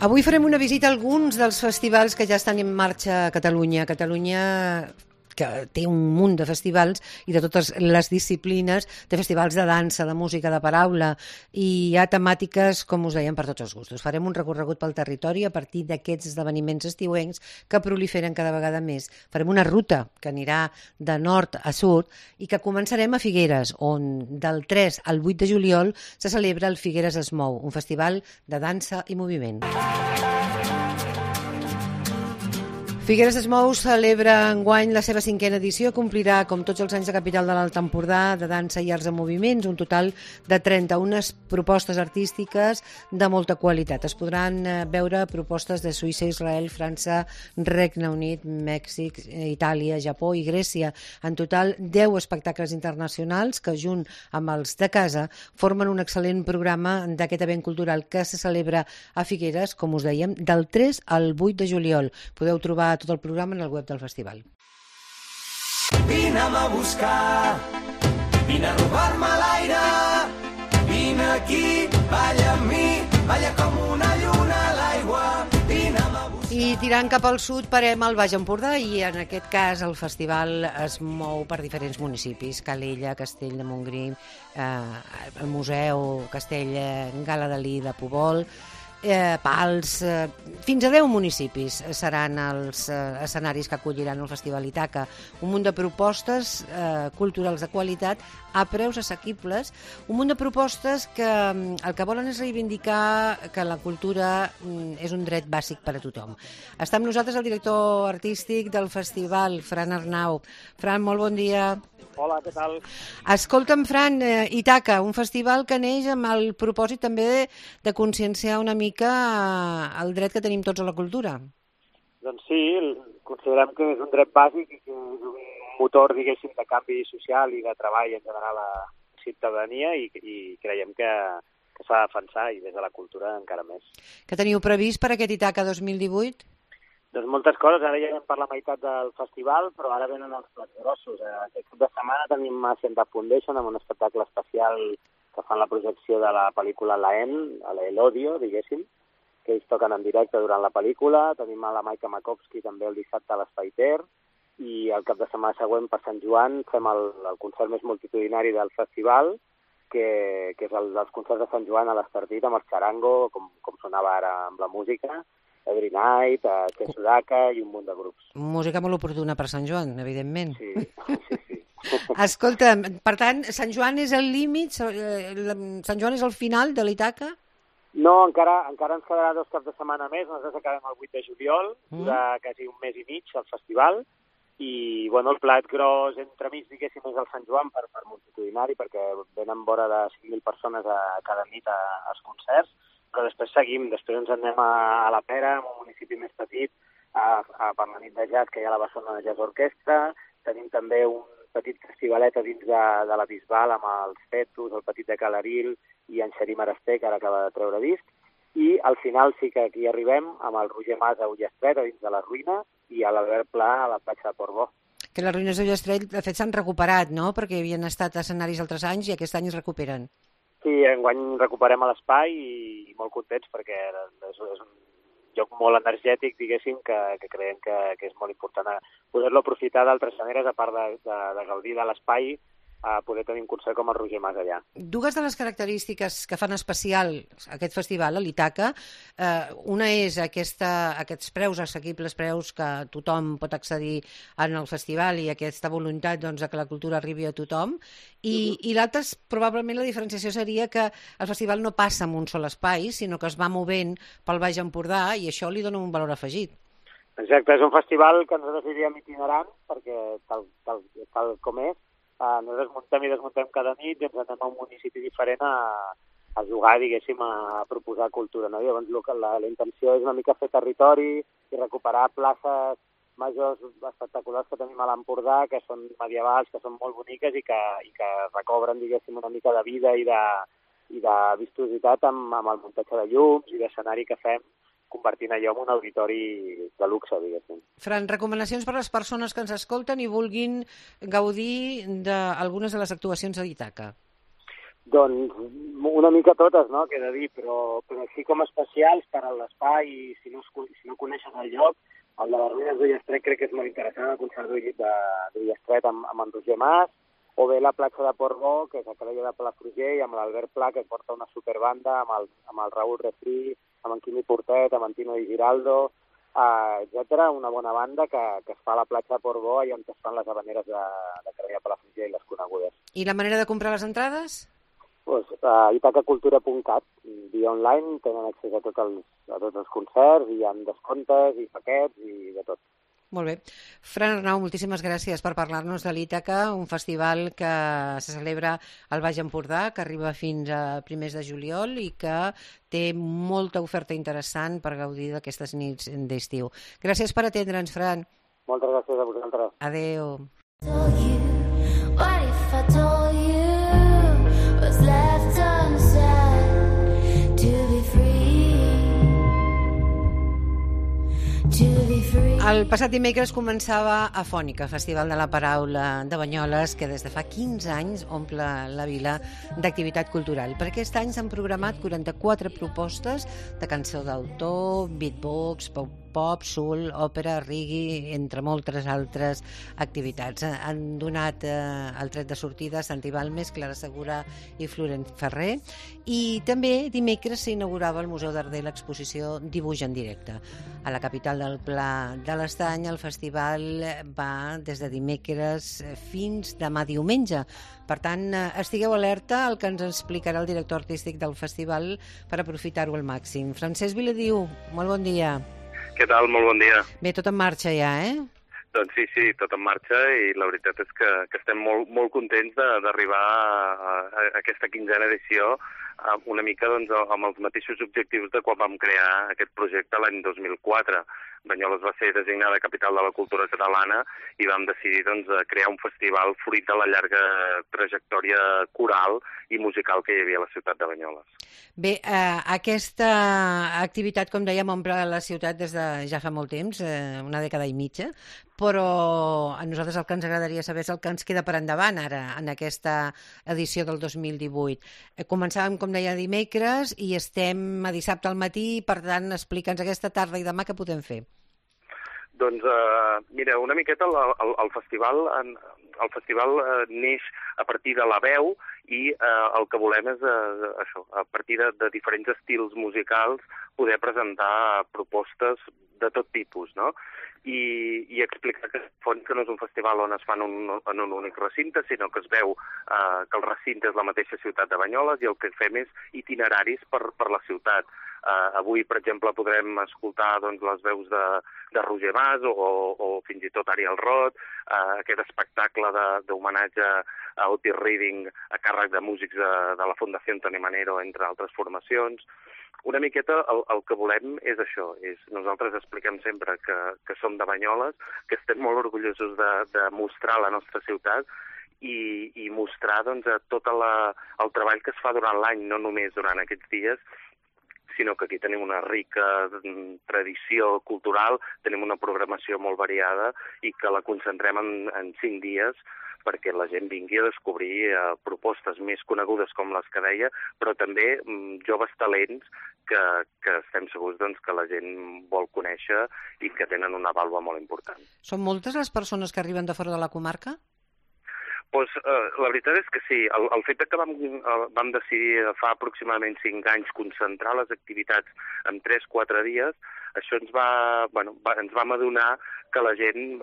Avui farem una visita a alguns dels festivals que ja estan en marxa a Catalunya. Catalunya, que té un munt de festivals i de totes les disciplines, té festivals de dansa, de música, de paraula, i hi ha temàtiques, com us dèiem, per tots els gustos. Farem un recorregut pel territori a partir d'aquests esdeveniments estiuencs que proliferen cada vegada més. Farem una ruta que anirà de nord a sud i que començarem a Figueres, on del 3 al 8 de juliol se celebra el Figueres es mou, un festival de dansa i moviment. Figueres es mou celebra enguany la seva 5a edició, complirà, com tots els anys, de Capital de l'Alt Empordà, de dansa i arts en moviments, un total de 31 propostes artístiques de molta qualitat. Es podran veure propostes de Suïssa, Israel, França, Regne Unit, Mèxic, Itàlia, Japó i Grècia. En total, 10 espectacles internacionals que, junt amb els de casa, formen un excel·lent programa d'aquest event cultural que se celebra a Figueres, com us dèiem, del 3 al 8 de juliol. Podeu trobar tot el programa en el web del festival. Vine'm a buscar, vine a robar-me l'aire, vine aquí, balla amb mi, balla com una lluna a l'aigua, vine'm a buscar. I tirant cap al sud parem al Baix Empordà i en aquest cas el festival es mou per diferents municipis, Calella, Castell de Montgrí, el Museu Castell Gala-Dalí de Pobol, Pals, fins a 10 municipis seran els escenaris que acolliran el Festival Ítaca. Un munt de propostes culturals de qualitat a preus assequibles, un munt de propostes que el que volen és reivindicar que la cultura és un dret bàsic per a tothom. Està amb nosaltres el director artístic del festival, Fran Arnau. Fran, molt bon dia. Hola, què tal? Escolta'm, Fran, Ítaca, un festival que neix amb el propòsit també de conscienciar una mica el dret que tenim tots a la cultura. Doncs sí, considerem que és un dret bàsic i que és un motor, diguéssim, de canvi social i de treball en general a la ciutadania i creiem que s'ha de defensar i des de la cultura encara més. Què teniu previst per aquest Ítaca 2018? Doncs moltes coses, ara ja anem per la meitat del festival, però ara venen els plats grossos. Aquest cap de setmana tenim Center Foundation amb un espectacle especial que fan la projecció de la pel·lícula La N, a l'Elodio, diguéssim, que ells toquen en directe durant la pel·lícula. Tenim a la Maika Makovsky també el dissabte a l'Espai Ter, i el cap de setmana següent per Sant Joan fem el concert més multitudinari del festival, que és el dels concerts de Sant Joan a l'Estartit amb el Charango, com sonava ara amb la música, Every Night, Chen Sudaka i un munt de grups. Música molt oportuna per Sant Joan, evidentment. Sí. Escolta, per tant, Sant Joan és el límit? Sant Joan és el final de l'Ítaca? No, encara ens quedarà 2 caps de setmana més. Nosaltres acabem el 8 de juliol, durà quasi un mes i mig el festival, i bueno, el plat gros entremig, diguéssim, és el Sant Joan per multitudinari, perquè venen vora de 5.000 persones cada nit als concerts, però després seguim, després ens anem a la Pera, en un municipi més petit, per la nit de jazz que hi ha a la Barcelona Jazz Orquestra. Tenim també un petit festivalet a dins de la Bisbal amb els Fetus, el Petit de Calaril i en Xerí Marasté, que ara acaba de treure disc. I al final sí que aquí arribem amb el Roger Mas a Ullastret, a dins de la Ruïna, i a l'Albert Pla a la platja de Portbó. Que les ruïnes d'Ullastret, de fet, s'han recuperat, no?, perquè havien estat escenaris altres anys i aquest any es recuperen. Sí, enguany recuperem l'espai i molt contents perquè és un lloc molt energètic, diguéssim, que creiem que és molt important poder-lo aprofitar d'altres maneres, a part de gaudir de l'espai, a poder tenir un concert com el Roger Mas allà. Dues de les característiques que fan especial aquest festival, l'Ítaca, una és aquests preus assequibles, preus que tothom pot accedir en el festival i aquesta voluntat doncs, que la cultura arribi a tothom, i l'altra, probablement la diferenciació seria que el festival no passa en un sol espai, sinó que es va movent pel Baix Empordà i això li dona un valor afegit. Exacte, és un festival que nosaltres diríem itinerant, perquè tal com és, nosaltres muntem i desmuntem cada nit i ens anem a un municipi diferent a jugar, diguéssim, a proposar cultura, no? Llavors la intenció és una mica fer territori i recuperar places majors espectaculars que tenim a l'Empordà, que són medievals, que són molt boniques i que recobren, diguéssim, una mica de vida i de vistositat amb el muntatge de llums i d'escenari que fem, convertint allò en un auditori de luxe, diguéssim. Fran, recomanacions per a les persones que ens escolten i vulguin gaudir d'algunes de les actuacions d'Ítaca? Doncs una mica totes, no?, que he de dir, però així com especials per a l'espai i si no coneixes el lloc, el de les ruïnes d'Ullastret crec que és molt interessant, el concert d'Ullastret amb en Roger Mas, o bé la platja de Portbou, que és a Calella de Palafrugell, amb l'Albert Pla, que porta una superbanda, amb el Raül Refri, amb en Quimi Portet, amb en Tino Di Giraldo, etc. Una bona banda que es fa a la platja de Portbou i on es fan les habaneres de Calella de Palafrugell, les conegudes. I la manera de comprar les entrades? Pues, itacacultura.cat, via online, tenen accés a tots els concerts, i hi ha descomptes i paquets i de tot. Molt bé. Fran Arnau, moltíssimes gràcies per parlar-nos de l'Ítaca, un festival que se celebra al Baix Empordà, que arriba fins a primers de juliol i que té molta oferta interessant per gaudir d'aquestes nits d'estiu. Gràcies per atendre'ns, Fran. Moltes gràcies a vosaltres. Adéu. El passat dimecres començava Afònica, Festival de la Paraula de Banyoles, que des de fa 15 anys omple la vila d'activitat cultural. Per aquest any s'han programat 44 propostes de cançó d'autor, beatbox, pop, soul, òpera, reggae, entre moltes altres activitats. Han donat el tret de sortida Santi Balmes, Clara Segura i Florent Ferrer. I també dimecres s'inaugurava al Museu d'Arder l'exposició Dibuix en directe. A la capital del Pla de l'Estany el festival va des de dimecres fins demà diumenge. Per tant, estigueu alerta al que ens explicarà el director artístic del festival per aprofitar-ho al màxim. Francesc Viladiu, molt bon dia. Què tal? Molt bon dia. Bé, tot en marxa ja, eh? Doncs sí, tot en marxa i la veritat és que estem molt contents d'arribar a aquesta 15a edició una mica doncs, amb els mateixos objectius de quan vam crear aquest projecte l'any 2004. Banyoles va ser designada capital de la cultura catalana i vam decidir doncs, crear un festival fruit de la llarga trajectòria coral i musical que hi havia a la ciutat de Banyoles. Bé, aquesta activitat, com dèiem, omple la ciutat des de ja fa molt temps, una dècada i mitja, però a nosaltres el que ens agradaria saber és el que ens queda per endavant ara, en aquesta edició del 2018. Començàvem, com deia, dimecres i estem a dissabte al matí, per tant, explica'ns aquesta tarda i demà què podem fer. Doncs, mira, una miqueta el festival neix a partir de la veu i el que volem és això, a partir de diferents estils musicals poder presentar propostes de tot tipus, no? I explicar que no és un festival on es fan en un únic recinte, sinó que es veu que el recinte és la mateixa ciutat de Banyoles i el que fem és itineraris per la ciutat. Avui, per exemple, podrem escoltar doncs, les veus de Roger Mas o fins i tot Ariel Roth, aquest espectacle d'homenatge a Otis Reading a càrrec de músics de la Fundació Antoni Manero, entre altres formacions. Una miqueta el que volem és això, nosaltres expliquem sempre que som de Banyoles, que estem molt orgullosos de mostrar la nostra ciutat i mostrar doncs, tot el treball que es fa durant l'any, no només durant aquests dies, sinó que aquí tenim una rica tradició cultural, tenim una programació molt variada i que la concentrem en 5 dies perquè la gent vingui a descobrir propostes més conegudes com les que deia, però també joves talents que estem segurs doncs, que la gent vol conèixer i que tenen una vàlua molt important. Són moltes les persones que arriben de fora de la comarca? Pues, la veritat és que sí. El fet que vam decidir fa aproximadament 5 anys concentrar les activitats en 3-4 dies, això ens vam adonar que la gent,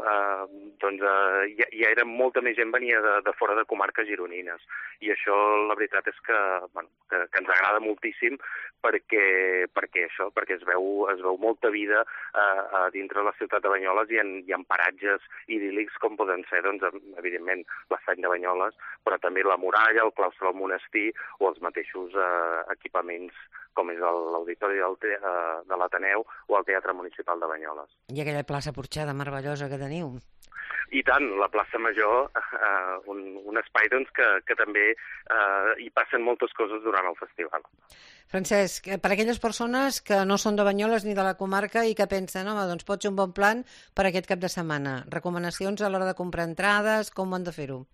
ja era molta més gent venia de fora de comarques gironines. I això, la veritat és que ens agrada moltíssim perquè es veu molta vida a dintre de la ciutat de Banyoles i en paratges idíl·lics com poden ser, doncs, evidentment, l'Estany de Banyoles, però també la muralla, el claustre del monestir o els mateixos equipaments com és l'Auditori de l'Ateneu o el Teatre Municipal de Banyoles. I aquella plaça porxada meravellosa que teniu. I tant, la plaça Major, un espai doncs, que també hi passen moltes coses durant el festival. Francesc, per a aquelles persones que no són de Banyoles ni de la comarca i que pensen, home, doncs pot ser un bon plan per aquest cap de setmana. Recomanacions a l'hora de comprar entrades, com ho han de fer-ho?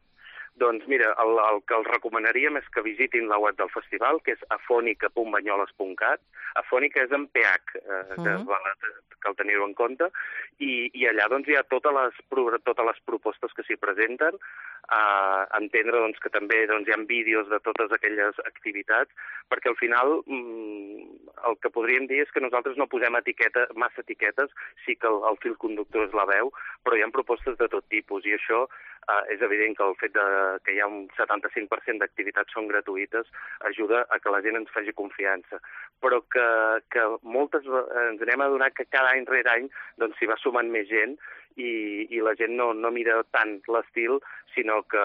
Doncs mira, el que els recomanaríem és que visitin la web del festival, que és afonica.banyoles.cat. Afònica és amb PH, que cal tenir-ho en compte, i allà doncs, hi ha totes les propostes que s'hi presenten, entendre doncs, que també doncs, hi ha vídeos de totes aquelles activitats, perquè al final el que podríem dir és que nosaltres no posem massa etiquetes, sí que el fil conductor és la veu, però hi ha propostes de tot tipus, i això és evident que el fet que hi ha un 75% d'activitats són gratuïtes ajuda a que la gent ens faci confiança, però que moltes ens anem a adonar que cada any rere any doncs, s'hi va sumant més gent i la gent no mira tant l'estil, sinó que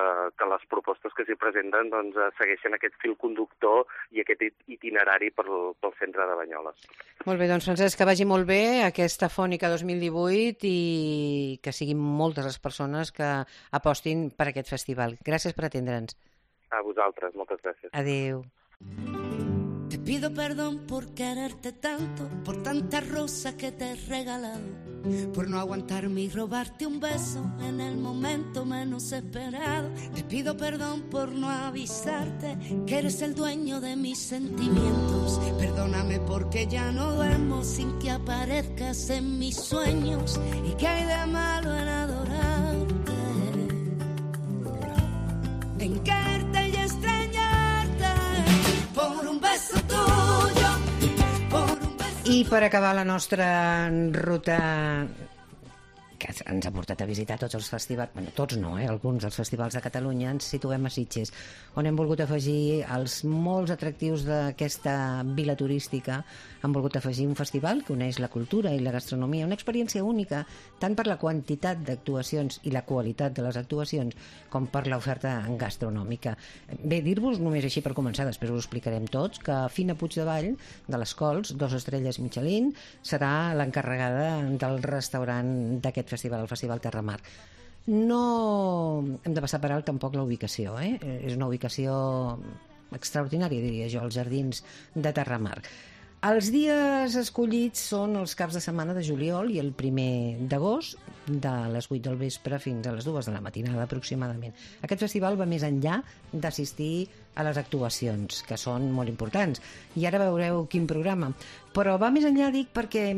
les propostes que s'hi presenten doncs, segueixen aquest fil conductor i aquest itinerari pel centre de Banyoles. Molt bé, doncs Francesc, que vagi molt bé aquesta Fònica 2018 i que siguin moltes les persones que apostin per aquest festival. Gràcies per atendre'ns. A vosaltres, moltes gràcies. Adéu. Te pido perdón por quererte tanto, por tanta rosa que te he regalado, por no aguantarme y robarte un beso en el momento menos esperado. Te pido perdón por no avisarte que eres el dueño de mis sentimientos. Perdóname porque ya no duermo sin que aparezcas en mis sueños. ¿Y qué hay de malo en adorarte? En quererte y extrañarte por un beso tuyo, por un beso... I per acabar la nostra ruta que ens ha portat a visitar tots els festivals, bueno, tots no, alguns dels festivals de Catalunya, ens situem a Sitges, on hem volgut afegir els molts atractius d'aquesta vila turística. Hem volgut afegir un festival que uneix la cultura i la gastronomia, una experiència única, tant per la quantitat d'actuacions i la qualitat de les actuacions, com per l'oferta gastronòmica. Bé, dir-vos només així per començar, després ho explicarem tots, que Fina Puigdevall, de les Cols, 2 estrelles Michelin, serà l'encarregada del restaurant d'aquest festival, el Festival Terramar. No hem de passar per alt tampoc la ubicació, és una ubicació extraordinària, diria jo, als jardins de Terramar. Els dies escollits són els caps de setmana de juliol i el 1 d'agost, de les 8 del vespre fins a les 2 de la matinada aproximadament. Aquest festival va més enllà d'assistir a les actuacions, que són molt importants. I ara veureu quin programa. Però va més enllà, dic, perquè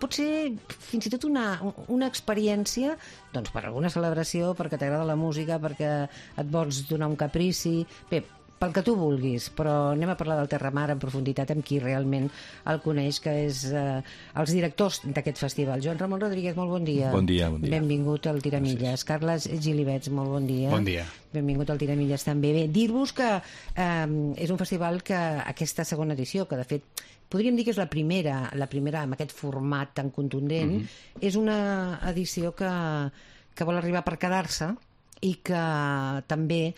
pot ser fins i tot una experiència, doncs, per alguna celebració, perquè t'agrada la música, perquè et vols donar un caprici... Bé, pel que tu vulguis, però anem a parlar del Terramar en profunditat amb qui realment el coneix, que és els directors d'aquest festival. Joan Ramon Rodríguez, molt bon dia. Bon dia, bon dia. Benvingut al Tiramilles. Carles Gilibets, molt bon dia. Bon dia. Benvingut al Tiramilles també. Bé, dir-vos que és un festival que aquesta segona edició, que de fet podríem dir que és la primera amb aquest format tan contundent, és una edició que vol arribar per quedar-se i que també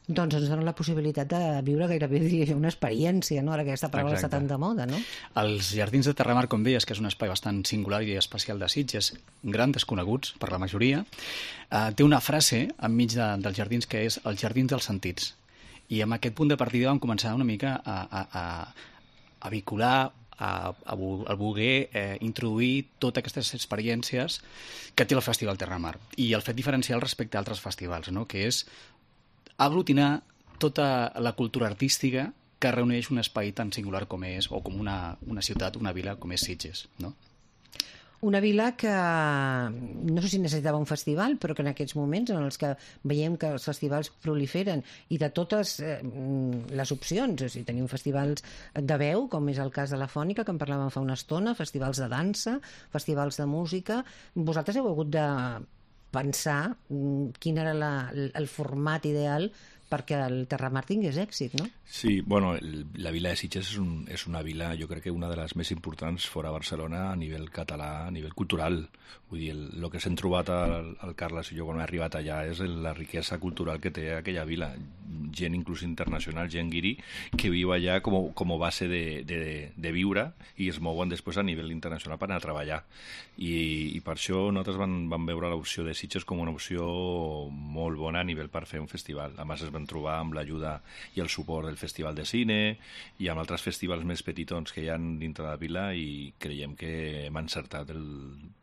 doncs ens dona la possibilitat de viure gairebé, diria jo, una experiència, no? Ara que aquesta paraula està tan de moda, no? Els Jardins de Terramar, com deies, que és un espai bastant singular i especial de Sitges, gran desconeguts per la majoria, té una frase enmig dels jardins que és els jardins dels sentits. I amb aquest punt de partida vam començar una mica a vincular, a voler introduir totes aquestes experiències que té el Festival Terramar i el fet diferencial respecte a altres festivals, no? Que és aglutinar tota la cultura artística que reuneix un espai tan singular com és, o com una ciutat, una vila com és Sitges, no? Una vila que no sé si necessitava un festival, però que en aquests moments en els que veiem que els festivals proliferen i de totes les opcions, o sigui, tenim festivals de veu, com és el cas de la Fònica, que en parlàvem fa una estona, festivals de dansa, festivals de música. Vosaltres heu hagut de pensar quin era el format ideal perquè el Terramar tingués èxit, no? Sí, bueno, la vila de Sitges és una vila, jo crec que una de les més importants fora Barcelona a nivell català, a nivell cultural. Vull dir, el que s'hem trobat el Carles i jo quan hem arribat allà és la riquesa cultural que té aquella vila. Gent inclús internacional, gent guiri, que viu allà com a base de viure i es mouen després a nivell internacional per anar a treballar. I per això nosaltres vam veure l'opció de Sitges com una opció molt bona a nivell per fer un festival. A més, es van trobar amb l'ajuda i el suport del Festival de Cine i amb altres festivals més petitons que hi ha dintre de la vila i creiem que hem encertat el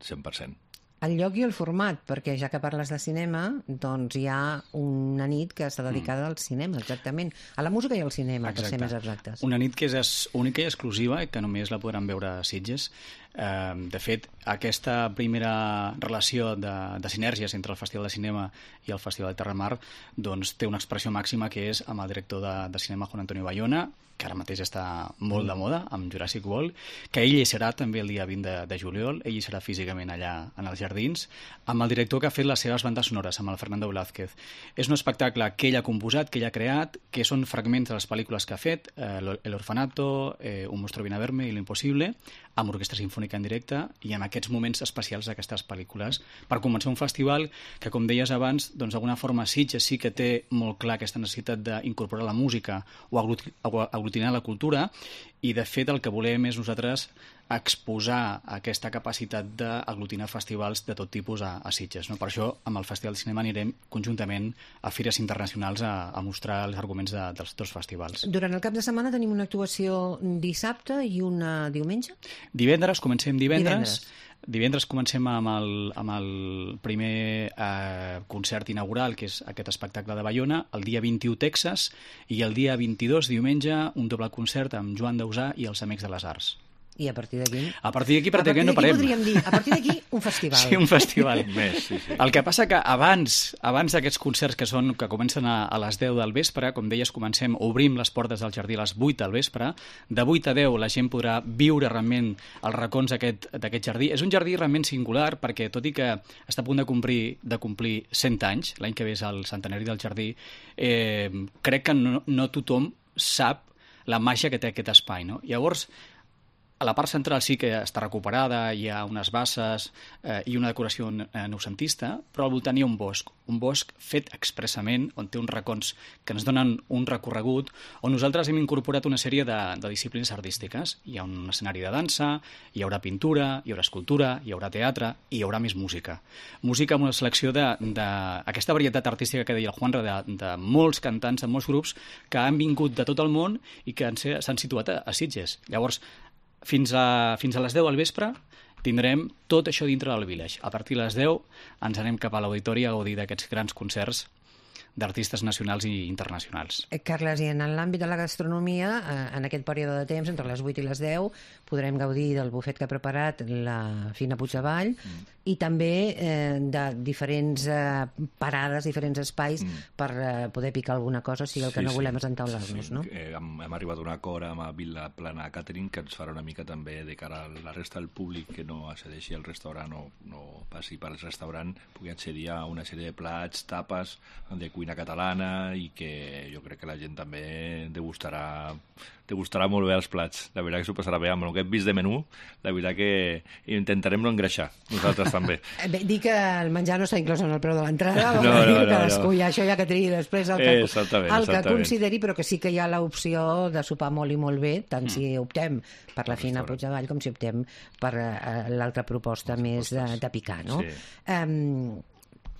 100%. el lloc i el format, perquè ja que parles de cinema, doncs hi ha una nit que està dedicada al cinema, exactament, a la música i al cinema, per ser més exactes. Una nit que és única i exclusiva i que només la podran veure a Sitges. De fet, aquesta primera relació de sinergies entre el Festival de Cinema i el Festival de Terramar doncs, té una expressió màxima que és amb el director de cinema Juan Antonio Bayona, que ara mateix està molt de moda, amb Jurassic World, que ell hi serà també el dia 20 de juliol, ell hi serà físicament allà en els jardins, amb el director que ha fet les seves bandes sonores, amb el Fernando Velázquez. És un espectacle que ell ha composat, que ell ha creat, que són fragments de les pel·lícules que ha fet, El Orfanato, Un monstruo viene a verme i Lo imposible, amb orquestra sinfònica en directe i en aquests moments especials d'aquestes pel·lícules, per començar un festival que, com deies abans, doncs d'alguna forma Sitges sí que té molt clar aquesta necessitat d'incorporar la música o aglutinar la cultura, i de fet el que volem és nosaltres exposar aquesta capacitat d'aglutinar festivals de tot tipus a Sitges. No? Per això amb el Festival de Cinema anirem conjuntament a fires internacionals a mostrar els arguments dels dos festivals. Durant el cap de setmana tenim una actuació dissabte i una diumenge? Divendres, comencem divendres. Divendres comencem amb el primer concert inaugural, que és aquest espectacle de Bayona, el dia 21 Texas, i el dia 22, diumenge, un doble concert amb Joan Dausà i els Amics de les Arts. I a partir d'aquí? A partir d'aquí pràcticament no parem. Podríem dir, a partir d'aquí un festival. Sí, un festival. Més, sí. El que passa que abans d'aquests concerts que comencen a les 10 del vespre, com deies, obrim les portes del jardí a les 8 del vespre, de 8 a 10 la gent podrà viure realment els racons d'aquest jardí. És un jardí realment singular perquè, tot i que està a punt de complir 100 anys, l'any que ve és el centenari del jardí, crec que no tothom sap la màgia que té aquest espai, no? Llavors, a la part central sí que està recuperada, hi ha unes basses i una decoració noucentista, però al voltant hi ha un bosc fet expressament, on té uns racons que ens donen un recorregut, on nosaltres hem incorporat una sèrie de disciplines artístiques. Hi ha un escenari de dansa, hi haurà pintura, hi haurà escultura, hi haurà teatre i hi haurà més música. Música amb una selecció d'aquesta varietat artística que deia el Juanra, de molts cantants, de molts grups que han vingut de tot el món i que s'han situat a Sitges. Llavors, fins a les 10 al vespre tindrem tot això dintre del Village. A partir de les 10 ens anem cap a l'auditori a gaudir d'aquests grans concerts d'artistes nacionals i internacionals. Carles, i en l'àmbit de la gastronomia, en aquest període de temps, entre les 8 i les 10, podrem gaudir del bufet que ha preparat la Fina Puigdevall i també de diferents parades, diferents espais per poder picar alguna cosa, sigui el que no volem és entaular-nos, no? Hem arribat a un acord amb Vila Plana Catering que ens farà una mica també de cara a la resta del públic que no accedeixi al restaurant o no passi pel restaurant, pugui accedir a una sèrie de plats, tapes de cuina catalana i que jo crec que la gent també degustarà molt bé els plats. La veritat que s'ho passarà bé amb el que hem vist de menú, la veritat que intentarem no engreixar, nosaltres també. Bé, dir que el menjar no està inclòs en el preu de l'entrada, no, cadascú ja això ja que tregui després el que consideri, però que sí que hi ha l'opció de sopar molt i molt bé, tant si optem per la Fina Puigdevall com si optem per l'altra proposta més de picar, no? Sí.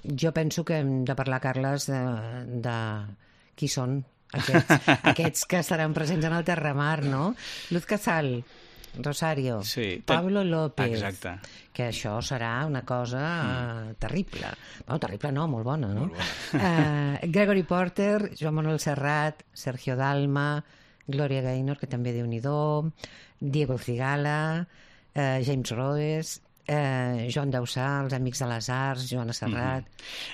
Jo penso que hem de parlar, Carles, de qui són aquests que estaran presents en el Terramar, no? Luz Casal, Rosario, sí, Pablo López. Exacte. Que això serà una cosa terrible. Bueno, terrible no, molt bona, no? Molt bona. Gregory Porter, Joan Manuel Serrat, Sergio Dalma, Gloria Gaynor, que també Déu-n'hi-do, Diego Cigala, James Roes, Joan Dausà, els Amics de les Arts, Joana Serrat...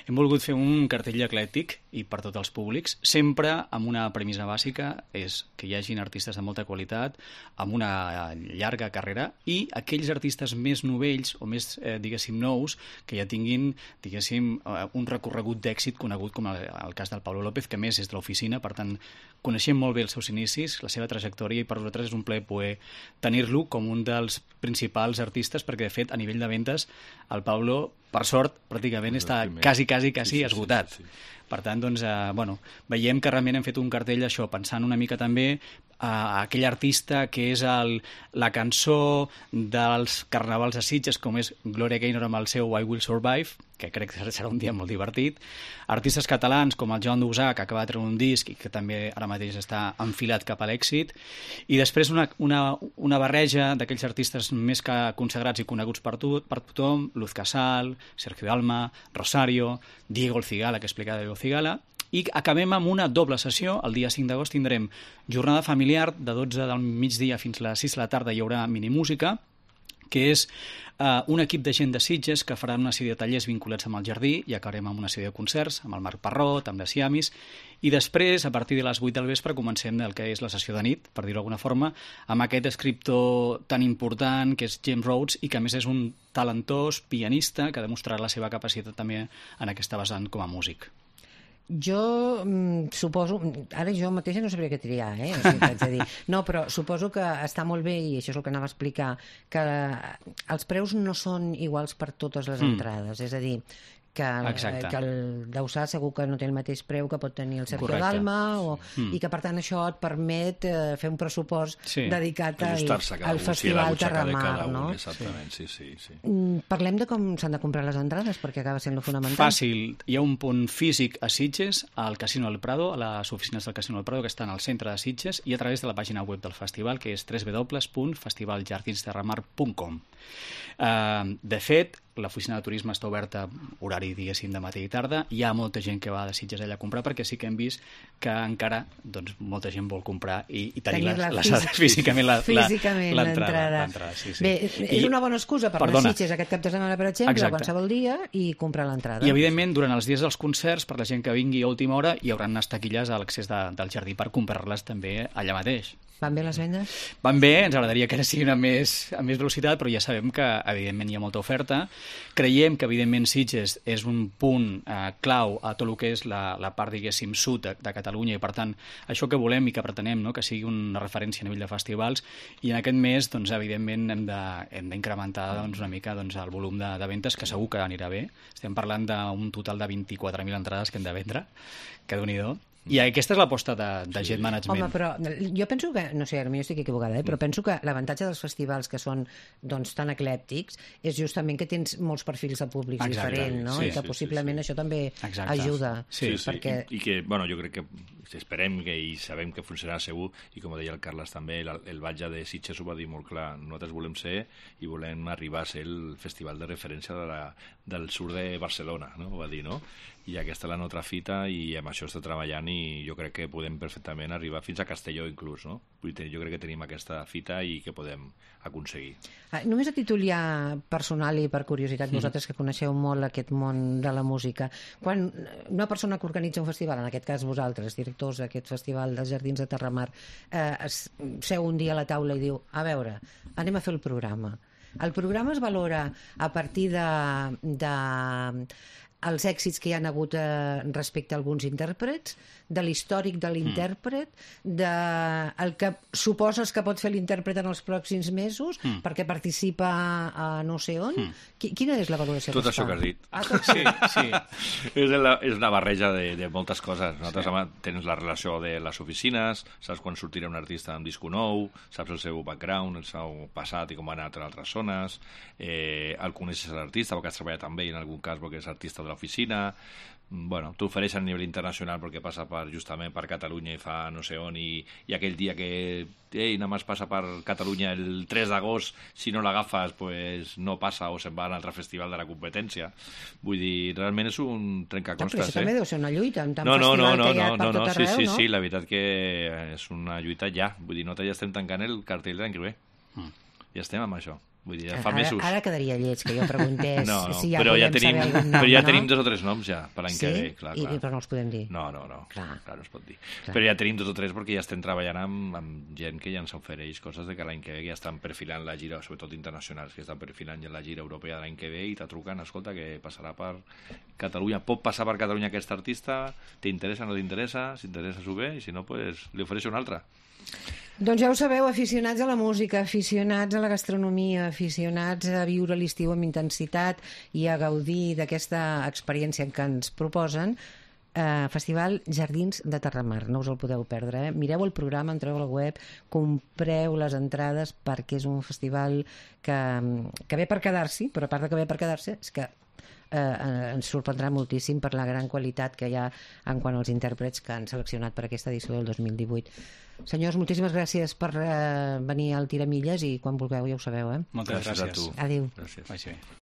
Hem volgut fer un cartell eclèctic i per tots els públics, sempre amb una premissa bàsica, és que hi hagin artistes de molta qualitat, amb una llarga carrera, i aquells artistes més novells o més, diguéssim, nous, que ja tinguin, diguéssim, un recorregut d'èxit conegut, com el cas del Pablo López, que més és de l'oficina, per tant, coneixem molt bé els seus inicis, la seva trajectòria, i per nosaltres és un plaer poder tenir-lo com un dels principals artistes, perquè, de fet, a nivell de ventes, el Pablo, per sort, pràcticament està quasi esgotat. Per tant, doncs, veiem que realment hem fet un cartell això, pensant una mica també aquell artista que és la cançó dels carnavals de Sitges, com és Gloria Gaynor amb el seu I Will Survive, que crec que serà un dia molt divertit. Artistes catalans com el Joan Dusà, que acaba de treure un disc i que també ara mateix està enfilat cap a l'èxit. I després una barreja d'aquells artistes més que consagrats i coneguts per tothom, Luz Casal, Sergio Dalma, Rosario, Diego El Cigala, que explica Diego Cigala, i acabem amb una doble sessió. El dia 5 d'agost tindrem jornada familiar de 12 del migdia fins a les 6 de la tarda. Hi haurà minimúsica, que és un equip de gent de Sitges que farà una sèrie de tallers vinculats amb el jardí i acabarem amb una sèrie de concerts, amb el Marc Parrot, amb les Siamis, i després, a partir de les 8 del vespre, comencem el que és la sessió de nit, per dir-ho d'alguna forma, amb aquest escriptor tan important que és James Rhodes i que a més és un talentós pianista que ha demostrat la seva capacitat també en aquesta vessant com a músic. Jo suposo, ara jo mateixa no sabria què triar, o sigui, t'haig de dir. No, però suposo que està molt bé, i això és el que anava a explicar, que els preus no són iguals per totes les entrades, és a dir, que el Dausà segur que no té el mateix preu que pot tenir el Sergio Dalma, i que per tant això et permet fer un pressupost dedicat al Festival Terramar, no? Exactament, sí. Parlem de com s'han de comprar les entrades, perquè acaba sent lo fonamental. Fàcil, hi ha un punt físic a Sitges, al Casino del Prado, a les oficines del Casino del Prado, que estan al centre de Sitges, i a través de la pàgina web del festival, que és www.festivaljardinesterramar.com. De fet, l'oficina de turisme està oberta horari, diguéssim, de matí i tarda. Hi ha molta gent que va de Sitges allà a comprar, perquè sí que hem vist que encara molta gent vol comprar i tenir físicament l'entrada. Bé, és una bona excusa per anar a Sitges aquest cap de setmana, per exemple, a qualsevol dia, i comprar l'entrada. I, evidentment, durant els dies dels concerts, per la gent que vingui a última hora, hi haurà unes taquilles a l'accés del jardí per comprar-les també allà mateix. Van bé les vendes? Van bé, ens agradaria que ara siguin amb més velocitat, però ja sabem que, evidentment, hi ha molta oferta. Creiem que, evidentment, Sitges és un punt clau a tot el que és la part, diguéssim, sud de Catalunya, i, per tant, això que volem i que pretenem, que sigui una referència a nivell de festivals, i en aquest mes, evidentment, hem d'incrementar una mica el volum de ventes, que segur que anirà bé. Estem parlant d'un total de 24.000 entrades que hem de vendre, que Déu-n'hi-do. I aquesta és l'aposta de Jet Management. Home, però jo penso que, no sé, ara jo estic equivocada, però penso que l'avantatge dels festivals que són tan eclèptics és justament que tens molts perfils de públics diferents, no? I que possiblement això també ajuda. Sí, i que, bueno, jo crec que esperem i sabem que funcionarà segur, i com deia el Carles també, el batlle de Sitges ho va dir molt clar, nosaltres volem ser i volem arribar a ser el festival de referència del sud de Barcelona, no? Ho va dir, no? I aquesta és la nostra fita i amb això està treballant, i jo crec que podem perfectament arribar fins a Castelló inclús, no? Jo crec que tenim aquesta fita i que podem aconseguir. Només a títol ja personal i per curiositat, vosaltres que coneixeu molt aquest món de la música, quan una persona que organitza un festival, en aquest cas vosaltres, directors d'aquest festival dels Jardins de Terramar, seu un dia a la taula i diu, a veure, anem a fer el programa. El programa es valora a partir de els èxits que hi ha hagut respecte a alguns intèrprets, de l'històric de l'intèrpret, del que suposes que pot fer l'intèrpret en els pròxims mesos, perquè participa a no sé on. Quina és la valoració? Tot això que has dit. Sí. És una barreja de moltes coses. Nosaltres tens la relació de les oficines, saps quan sortirà un artista amb disco nou, saps el seu background, el seu passat i com va anar a altres zones, el coneixes l'artista perquè has treballat amb ell en algun cas perquè és artista de l'oficina. Bueno, t'ofereixen a nivell internacional perquè passa justament per Catalunya i fa no sé on, i aquell dia que només passa per Catalunya el 3 d'agost, si no l'agafes pues no passa o se'n va a un altre festival de la competència. Vull dir, realment és un trencaclosques. Però això també deu ser una lluita amb tant festival que hi ha per tot arreu, no? Sí, la veritat que és una lluita ja. Vull dir, nosaltres ja estem tancant el cartell de l'any que ve. Ja estem amb això. Vull dir, fa mesos. Ara quedaria lleig que jo preguntés si ja però podem saber algun nom, però ja tenim 2 o 3 noms ja per l'any que ve. Clar. Però no els podem dir. No, clar, no es pot dir. Clar. Però ja tenim 2 o 3 perquè ja estem treballant amb gent que ja ens ofereix coses de que l'any que ve ja estan perfilant la gira, sobretot internacionals, que estan perfilant ja la gira europea de l'any que ve i t'atruquen, escolta, que passarà per Catalunya. Pot passar per Catalunya aquest artista? T'interessa, no t'interessa? Si t'interessa, s'ho ve, i si no, pues, li ofereixo un altre. Doncs ja ho sabeu, aficionats a la música, aficionats a la gastronomia, aficionats a viure l'estiu amb intensitat i a gaudir d'aquesta experiència que ens proposen, Festival Jardins de Terramar, no us el podeu perdre, mireu el programa, entreu a la web, compreu les entrades perquè és un festival que ve per quedar-s'hi, però a part de que ve per quedar-se és que ens sorprendrà moltíssim per la gran qualitat que hi ha en quant als intèrprets que han seleccionat per aquesta edició del 2018. Senyors, moltíssimes gràcies per venir al Tiramilles i quan vulgueu ja ho sabeu. Moltes gràcies. A tu. Adéu. Gràcies. Vagi bé.